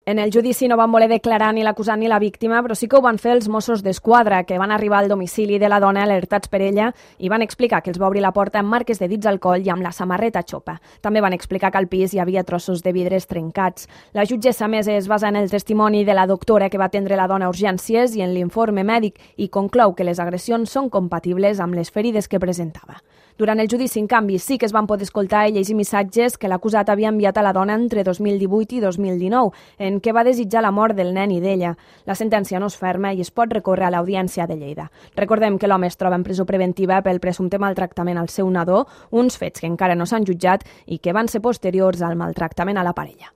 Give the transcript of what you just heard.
En el judici no van voler declarar ni l'acusat ni la víctima, però sí que ho van fer els Mossos d'Esquadra, que van arribar al domicili de la dona alertats per ella i van explicar que els va obrir la porta amb marques de dits al coll i amb la samarreta xopa. També van explicar que al pis hi havia trossos de vidres trencats. La jutgessa, a més, es basa en el testimoni de la doctora que va atendre la dona a urgències i en l'informe mèdic i conclou que les agressions són compatibles amb les ferides que presentava. Durant el judici, en canvi, sí que es van poder escoltar i llegir missatges que l'acusat havia enviat a la dona entre 2018 i 2019, en què va desitjar la mort del nen i d'ella. La sentència no és ferma i es pot recórrer a l'Audiència de Lleida. Recordem que l'home es troba en presó preventiva pel presumpte maltractament al seu nadó, uns fets que encara no s'han jutjat i que van ser posteriors al maltractament a la parella.